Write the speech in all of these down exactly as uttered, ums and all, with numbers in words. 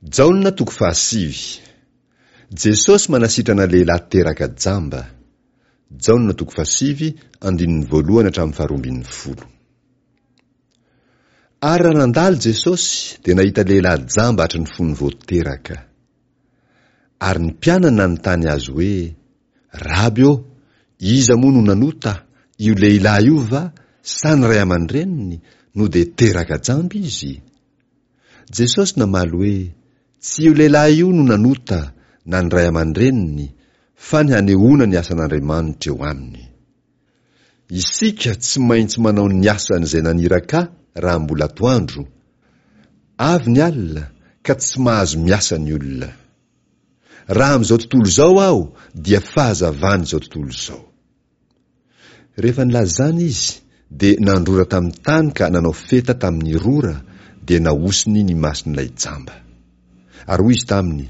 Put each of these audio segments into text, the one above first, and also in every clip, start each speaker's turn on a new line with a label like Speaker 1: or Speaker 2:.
Speaker 1: Jaona toko fahasivy. Jesosy manasitrana lehilahy teraka jamba. Jaona toko fahasivy, andininy voalohany hatramin'ny faharoa ambin'ny folo. Ary raha nandalo Jesosy, dia nahita lehilahy jamba hatry ny fony vao teraka. Ary ny mpianany nanontany azy hoe, Raby ô, iza moa no nanota, io lehilahy io va, sa ny ray aman-dreniny, no dia teraka jamba izy? Jesosy namaly hoe, Tsy io lehilahy io no nanota, na ny ray aman-dreniny, fa ny hanehoana ny asan'Andriamanitra eo aminy. Isika tsy maintsy manao ny asan'izay naniraka ahy raha mbola atoandro. Avy ny alina, ka tsy mahazo miasa ny olona. Raha amin'izao tontolo izao aho, dia fahazavan'izao tontolo izao. Rehefa nilaza izany izy, dia nandrora tamin'ny tany ka nanao feta tamin'ny rora, dia nahosiny ny mason'ilay jamba. Ary hoy izy taminy,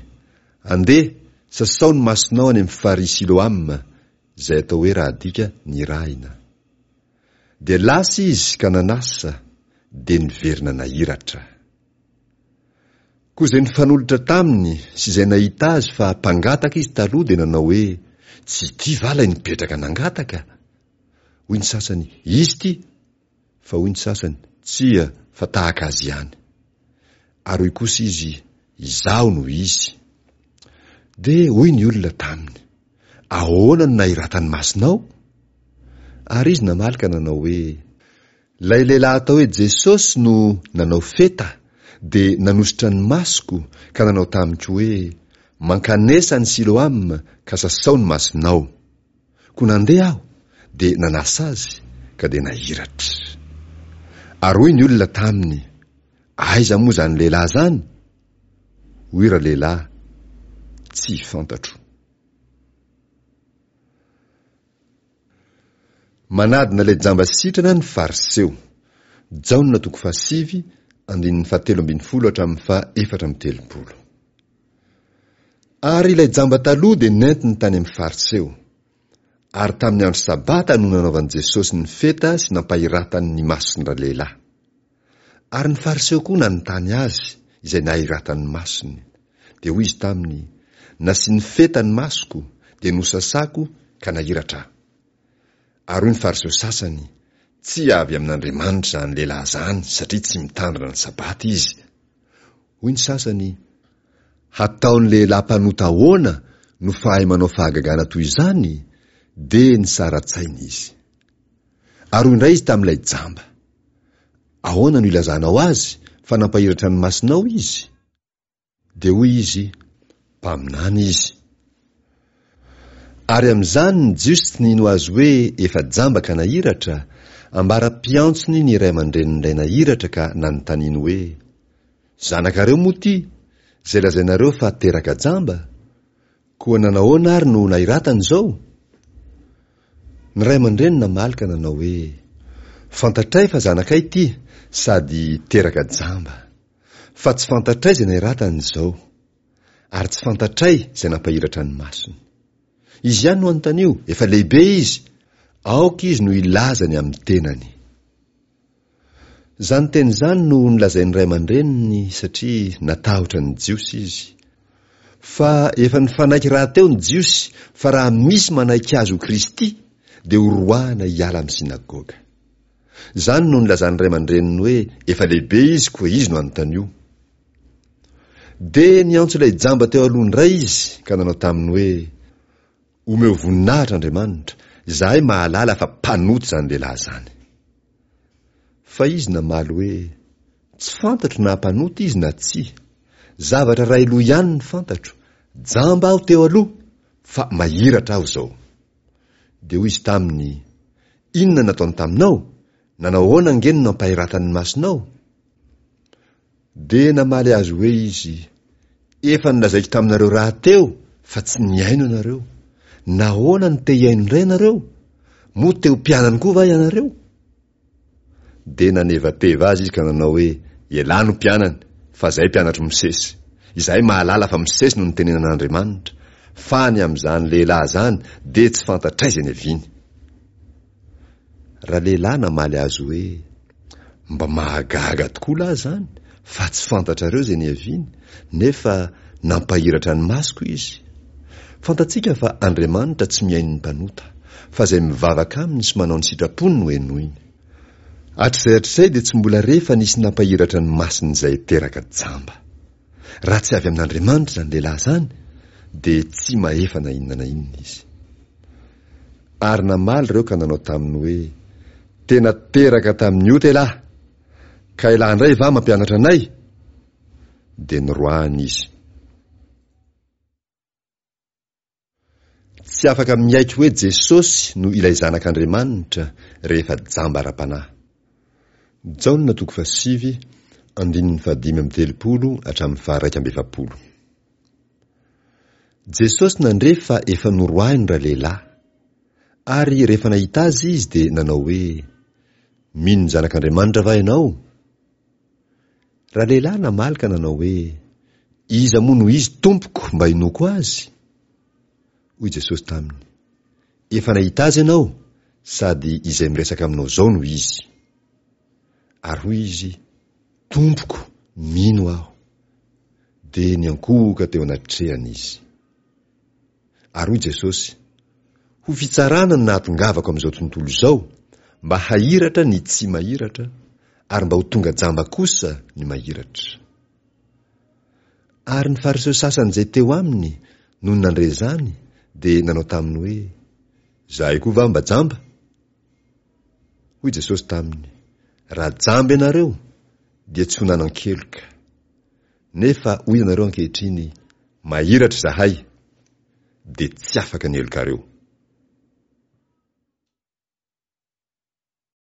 Speaker 1: Andeha, sasao ny masonao any amin'ny farihy Siloama, izay atao hoe raha adika, nirahina. Dia lasa izy ka nanasa, dia niverina nahiratra. Koa izay nifanolotra taminy sy izay nahita azy fa mpangataka izy taloha dia nanao hoe, Tsy ity va ilay nipetraka nangataka? Hoy ny sasany, Izy ity! Fa hoy ny sasany, Tsia, fa tahaka azy ihany. Ary hoy kosa izy, Izaho no izy. Dia hoy ny olona taminy, Ahoana no nahiratan'ny masonao? Ary izy namaly ka nanao hoe, Ilay lehilahy atao hoe Jesosy no nanao feta dia nanosotra ny masoko ka nanao tamiko hoe, Mankanesa any Siloam ka sasao ny masonao. Koa nandeha aho dia nanasa azy ka dia nahiratra. Ary hoy ny olona taminy, Aiza moa izany lehilahy izany? Hoy ralehilahy, Tsy fantatro. Manadina ilay jamba sitrana ny Fariseo. Jaona toko fahasivy, andininy fahatelo ambin'ny folo hatramin'ny faha efatra amby telopolo. Ary ilay jamba taloha dia nentiny tany amin'ny Fariseo. Ary tamin'ny andro Sabata no nanaovan'i Jesosy ny feta sy nampahiratany ny mason-dralehilahy. Ary ny Fariseo koa nanontany azy izay nahiratany ny masony. Dia hoy izy taminy, Nasiany feta ny masoko, dia nosasako ka nahiratra aho. Ary hoy ny Fariseo sasany, Tsy avy amin'Andriamanitra izany lehilahy izany, satria tsy mitandrina ny Sabata izy. Hoy ny sasany, Hataon'ny lehilahy mpanota ahoana no fahay manao fahagagana toy izany? Dia nisara-tsaina izy. Ary hoy indray izy tamin'ilay jamba, Ahoana no ilazanao azy fa nampahiratra ny masonao izy? Dia hoy izy, Mpaminany izy. Ary amin'izany ny Jiosy tsy nino azy hoe efa jamba ka nahiratra, ambara-piantsony ny ray aman-drenin'ilay nahiratra ka nanontaniany hoe, Zanakareo moa ity, izay lazainareo fa teraka jamba? Koa nanahoana ary no nahiratany izao? Ny ray aman-dreny namaly ka nanao hoe, Fantatray fa zanakay ity sady teraka jamba. Fa tsy fantatray izay nahiratany izao. Ary tsy fantatray izay nampahiratra ny masony. Izy ihany no anontanio, efa lehibe izy, aoka izy no hilaza ny amin'ny tenany. Izany teny izany no nolazain'ny ray aman-dreniny satria natahotra ny Jiosy izy. Fa efa nifanaiky rahateo ny Jiosy fa raha misy manaiky azy ho Kristy dia horoahana hiala amin'ny synagoga. Izany no nilazan'ny ray aman-dreniny hoe efa lehibe izy koa izy no anontanio. Dia niantso ilay jamba teo aloha indray izy ka nanao taminy hoe, Omeo voninahitra Andriamanitra, izahay mahalala fa mpanota izany lehilahy izany. Fa izy namaly hoe, Tsy fantatro na mpanota izy na tsia. Zavatra iray loha ihany no fantatro, jamba aho teo aloha, fa mahiratra aho izao. Dia hoy izy taminy, Inona no nataony taminao? Nanao ahoana ange no nampahiratany ny masonao? Dia namaly azy hoe izy, Efa nolazaiko taminareo rahateo fa tsy nihaino ianareo. Nahoana no te hihaino indray ianareo? Moa te ho mpianany koa va ianareo? Dia nanevateva azy izy ka nanao hoe, Ialahy no mpianany, fa izahay mpianatr'i Mosesy. Izahay mahalala fa Mosesy no nitenenan'Andriamanitra, fa ny amin'izany lehilahy izany dia tsy fantatray izay niaviany. Ralehilahy namaly azy hoe, Mba mahagaga tokoa lahy izany fa tsy fantatrareo izay niaviany, nefa nampahiratra ny masoko Izy. Fantatsika fa Andriamanitra tsy mihaino ny mpanota, fa izay mivavaka aminy sy manao ny sitrapony no henoiny. Hatrizay hatrizay dia tsy mbola re fa nisy nampahiratra ny mason'izay teraka jamba. Raha tsy avy amin'Andriamanitra izany lehilahy izany, dia tsy mahefa na inona na inona izy. Ary namaly ireo ka nanao taminy hoe, Tena teraka tamin'ny ota ialahy, ka ialahy indray va mampianatra anay? Dia noroahiny izy. Tsy afaka miaiky hoe Jesosy no ilay Zanak'Andriamanitra rehefa jamba ara-panahy. Jaona toko fahasivy, andininy fahadimy amby telopolo hatramin'ny faharaika amby efapolo. Jesosy nandre fa efa noroahiny ralehilahy. Ary rehefa nahita azy izy dia nanao hoe, Mino ny Zanak'Andriamanitra va ianao? Ralehilahy namaly ka nanao hoe, Iza moa no izy, Tompoko, mba hinoako azy? Hoy Jesosy taminy, Efa nahita azy ianao, sady izay miresaka aminao izao no izy. Ary hoy izy, Tompoko, mino aho. Dia niankohoka teo anatrehany izy. Ary hoy Jesosy, Ho fitsarana no nahatongavako amin'izao tontolo izao, mba hahiratra ny tsy mahiratra, ary mba ho tonga jamba kosa ny mahiratra. Ary ny Fariseo sasany izay teo aminy, nony nandre izany, dia nanao taminy hoe, Izahay koa va mba jamba? Hoy Jesosy taminy, Raha jamba ianareo, dia tsy ho nanan-keloka. Nefa hoy ianareo ankehitriny, Mahiratra izahay, dia tsy afaka ny helokareo.